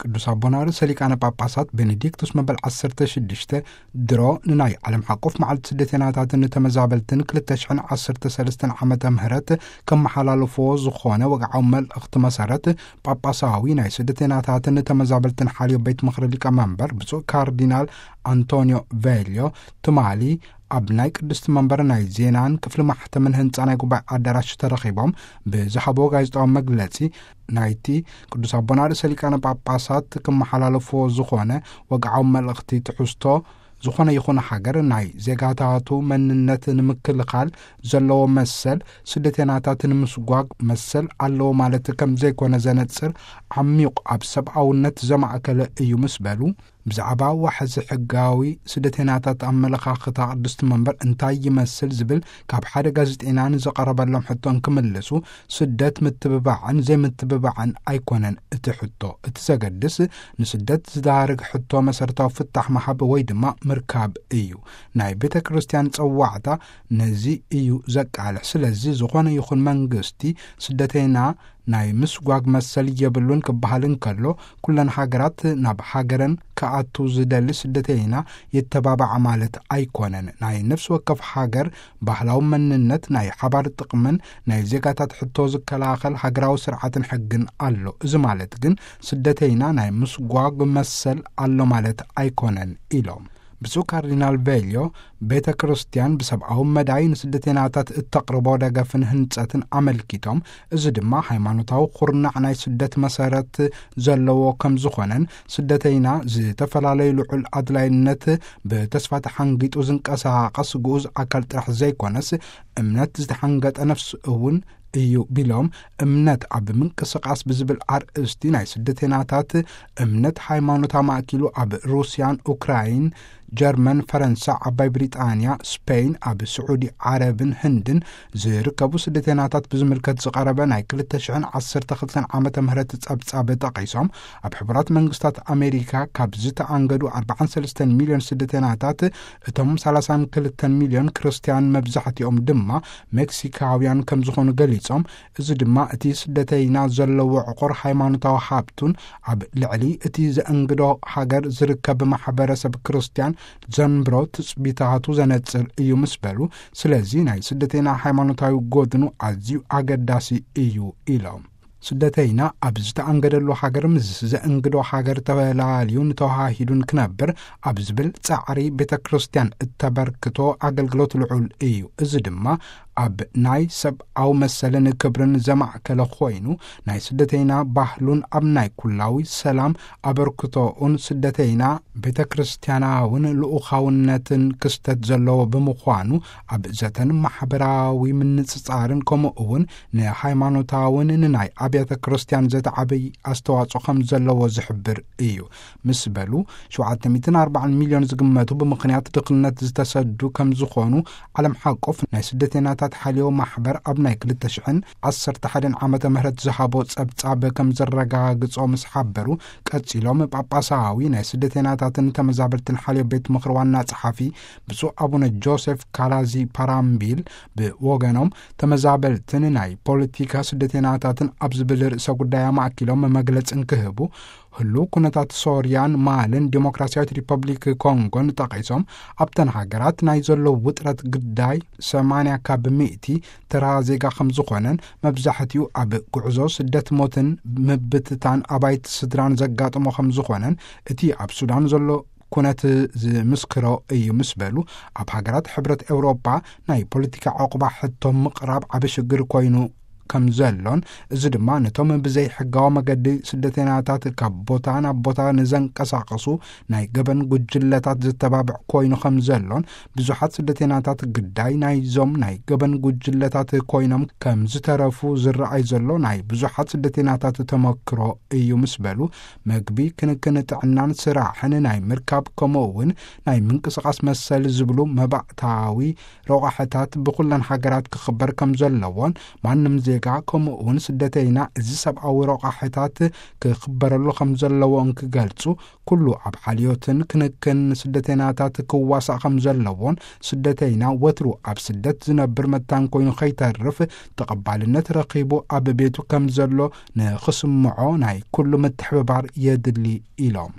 ቅዱስ ኣቦና ርእሰ ሊቃነ ጳጳሳት ቤኔዲክቱስ መበል ዓሰርተ ሽዱሽተ ድሮ ንናይ ዓለም ሓቆፍ መዓልቲ ስደተናታትን ተመዛበልትን ክልተ ሽሕን ዓሰርተ ሰለስተን ዓመተ ምህረት ከመሓላልፍዎ ዝኾነ ወግዓዊ መልእኽቲ መሰረት፣ ጳጳሳዊ ናይ ስደተናታትን ተመዛበልትን ሓልዮ ቤት ምኽሪ ሊቀ መንበር ብፁዕ ካርዲናል ኣንቶኒዮ ቬልዮ ትማሊ ኣብ ናይ ቅድስቲ መንበር ናይ ዜናን ክፍሊ ማሕተምን ህንጻ ናይ ጉባኤ ኣዳራሽ ተረኺቦም ብዝሃቦ ጋዜጣዊ መግለጺ፣ ናይቲ ቅዱስ ኣቦና ርእሰ ሊቃነ ጳጳሳት ክመሓላለፍዎ ዝኾነ ወግዓዊ መልእኽቲ ትሕዝቶ፣ ዝኾነ ይኹን ሃገር ናይ ዜጋታቱ መንነት ንምክልኻል ዘለዎ መሰል፣ ስደተናታት ንምስጓግ መሰል ኣለዎ ማለት ከም ዘይኮነ ዘነጽር፣ ዓሚቑ ኣብ ሰብኣውነት ዘማእከለ እዩ ምስ በሉ፣ ብዛዕባ ዋሕዚ ሕጋዊ ስደተናታት ኣመለኻኽታ ቅድስቲ መንበር እንታይ ይመስል ዝብል ካብ ሓደ ጋዜጠኛ ንዘቐረበሎም ሕቶ እንክምልሱ፣ ስደት ምትብባዕን ዘይምትብባዕን ኣይኮነን እቲ ሕቶ። እቲ ዘገድስ ንስደት ዝዳርግ ሕቶ መሰረታዊ ፍታሕ ምሃብ ወይ ድማ ምርካብ እዩ። ናይ ቤተ ክርስቲያን ጸዋዕታ ነዚ እዩ ዘቃልሕ። ስለዚ ዝኾነ ይኹን መንግስቲ ስደተይና ናይ ምስጓግ መሰል የብሉን ክበሃል እንከሎ፣ ኩለን ሃገራት ናብ ሃገረን ክኣቱ ዝደሊ ስደተይና የተባባዓ ማለት ኣይኮነን። ናይ ነፍሲ ወከፍ ሃገር ባህላዊ መንነት፣ ናይ ሓባር ጥቕምን ናይ ዜጋታት ሕቶ ዝከላኸል ሃገራዊ ስርዓትን ሕግን ኣሎ። እዚ ማለት ግን ስደተይና ናይ ምስጓግ መሰል ኣሎ ማለት ኣይኮነን ኢሎም። ብፁዕ ካርዲናል ቬልዮ፣ ቤተ ክርስቲያን ብሰብኣዊ መዳይ ንስደተይናታት እተቕርቦ ደገፍን ህንጸትን ኣመልኪቶም፣ እዚ ድማ ሃይማኖታዊ ኩርናዕ ናይ ስደት መሰረት ዘለዎ ከም ዝኾነን፣ ስደተይና ዝተፈላለዩ ልዑል ኣድላይነት ብተስፋ ተሓንጊጡ ዝንቀሳቐስ ግኡዝ ኣካል ጥራሕ ዘይኮነስ፣ እምነት ዝተሓንገጠ ነፍሲ እውን እዩ ቢሎም፣ እምነት ኣብ ምንቅስቓስ ብዝብል ኣርእስቲ ናይ ስደተይናታት እምነት ሃይማኖት ኣማእኪሉ ኣብ ሩስያን ኡክራይን፣ ጀርመን፣ ፈረንሳ፣ ዓባይ ብሪጣንያ፣ ስፔን፣ ኣብ ስዑዲ ዓረብን ህንድን ዝርከቡ ስደተይናታት ብዝምልከት ዝቐረበ ናይ ክልተ ሽሕን ዓሰርተ ክልተን ዓመተ ምህረት ጸብጻብ ጠቒሶም፣ ኣብ ሕቡራት መንግስታት ኣሜሪካ ካብ ዝተኣንገዱ ኣርባዓን ሰለስተን ሚልዮን ስደተይናታት እቶም ሰላሳን ክልተን ሚልዮን ክርስትያን መብዛሕትኦም ድማ ሜክሲካውያን ከም ዝኾኑ ገሊጾም፣ እዚ ድማ እቲ ስደተይና ዘለዎ ዕቑር ሃይማኖታዊ ሃብቱን ኣብ ልዕሊ እቲ ዘእንግዶ ሃገር ዝርከብ ማሕበረሰብ ክርስትያን ዘንብሮ ትጽቢታቱ ዘነጽር እዩ ምስ በሉ፣ ስለዚ ናይ ስደተይና ሃይማኖታዊ ጎድኑ ኣዝዩ ኣገዳሲ እዩ ኢሎም። ስደተይና ኣብ ዝተኣንገደሉ ሃገር ምስ ዘእንግዶ ሃገር ተላልዩን ተዋሃሂዱን ክነብር ኣብ ዝብል ጻዕሪ ቤተ ክርስቲያን እተበርክቶ ኣገልግሎት ልዑል እዩ። እዚ ድማ ኣብ ናይ ሰብኣዊ መሰልን ክብርን ዘማእከለ ኮይኑ፣ ናይ ስደተይና ባህሉን ኣብ ናይ ኩላዊ ሰላም ኣበርክቶኡን ስደተይና ቤተ ክርስቲያናውን ልኡኻውነትን ክስተት ዘለዎ ብምዃኑ፣ ኣብ ዘተን ማሕበራዊ ምንጽጻርን ከምኡ እውን ንሃይማኖታውን ንናይ ኣብያተ ክርስቲያን ዘተዓበይ ኣስተዋጽኦ ከም ዘለዎ ዝሕብር እዩ ምስ በሉ፣ ሸውዓተ ሚእትን ኣርባዓን ሚልዮን ዝግመቱ ብምኽንያት ድኽነት ዝተሰዱ ከም ዝኾኑ ዓለም ሓቆፍ ናይ ስደተይናታት ሓልዮ ማሕበር ኣብ ናይ ክልተ ሽሕን ዓሰርተ ሓደን ዓመተ ምህረት ዝሃቦ ጸብጻብ ከም ዘረጋግጾ ምስ ሓበሩ፣ ቀጺሎም ጳጳሳዊ ናይ ስደተይናታትን ተመዛበልትን ሓልዮ ቤት ምኽሪ ዋና ጸሓፊ ብፁዕ ኣቡነ ጆሴፍ ካላዚ ፓራምቢል ብወገኖም፣ ተመዛበልትን ናይ ፖለቲካ ስደተይናታትን ኣብ ዝብል ርእሰ ጉዳይ ኣማእኪሎም መግለጺ እንክህቡ፣ ህሉው ኩነታት ሶርያን ማልን ዲሞክራሲያዊት ሪፐብሊክ ኮንጎን ጠቒሶም፣ ኣብተን ሃገራት ናይ ዘሎ ውጥረት ግዳይ ሰማንያ ካብ ሚእቲ ተራ ዜጋ ከም ዝኾነን፣ መብዛሕትኡ ኣብ ጉዕዞ ስደት፣ ሞትን ምብትታን ኣባይቲ ስድራን ዘጋጥሞ ከም ዝኾነን፣ እቲ ኣብ ሱዳን ዘሎ ኩነት ዝምስክሮ እዩ ምስ በሉ፣ ኣብ ሃገራት ሕብረት ኤውሮጳ ናይ ፖለቲካ ዕቑባ ሕቶ ምቕራብ ዓቢ ሽግር ኮይኑ ከም ዘሎን፣ እዚ ድማ ነቶም ብዘይ ሕጋዊ መገዲ ስደተይናታት ካብ ቦታ ናብ ቦታ ንዘንቀሳቐሱ ናይ ገበን ጉጅለታት ዘተባብዕ ኮይኑ ከም ዘሎን፣ ብዙሓት ስደተይናታት ግዳይ ናይዞም ናይ ገበን ጉጅለታት ኮይኖም ከም ዝተረፉ ዝረኣይ ዘሎ ናይ ብዙሓት ስደተይናታት ተመክሮ እዩ ምስ በሉ፣ መግቢ፣ ክንክን ጥዕናን ስራሕን ናይ ምርካብ፣ ከምኡ እውን ናይ ምንቅስቓስ መሰል ዝብሉ መባእታዊ ረቋሕታት ብኩለን ሃገራት ክኽበር ከም ዘለዎን፣ ማንም ዜጋ፣ ከምኡ እውን ስደተይና፣ እዚ ሰብኣዊ ረቋሕታት ክኽበረሉ ከም ዘለዎ እንክገልጹ፣ ኩሉ ኣብ ሓልዮትን ክንክን ስደተይናታት ክዋሳእ ከም ዘለዎን፣ ስደተይና ወትሩ ኣብ ስደት ዝነብር መታን ኮይኑ ከይተርፍ፣ ተቐባልነት ረኺቡ ኣብ ቤቱ ከም ዘሎ ንኽስምዖ ናይ ኩሉ ምትሕብባር የድሊ ኢሎም።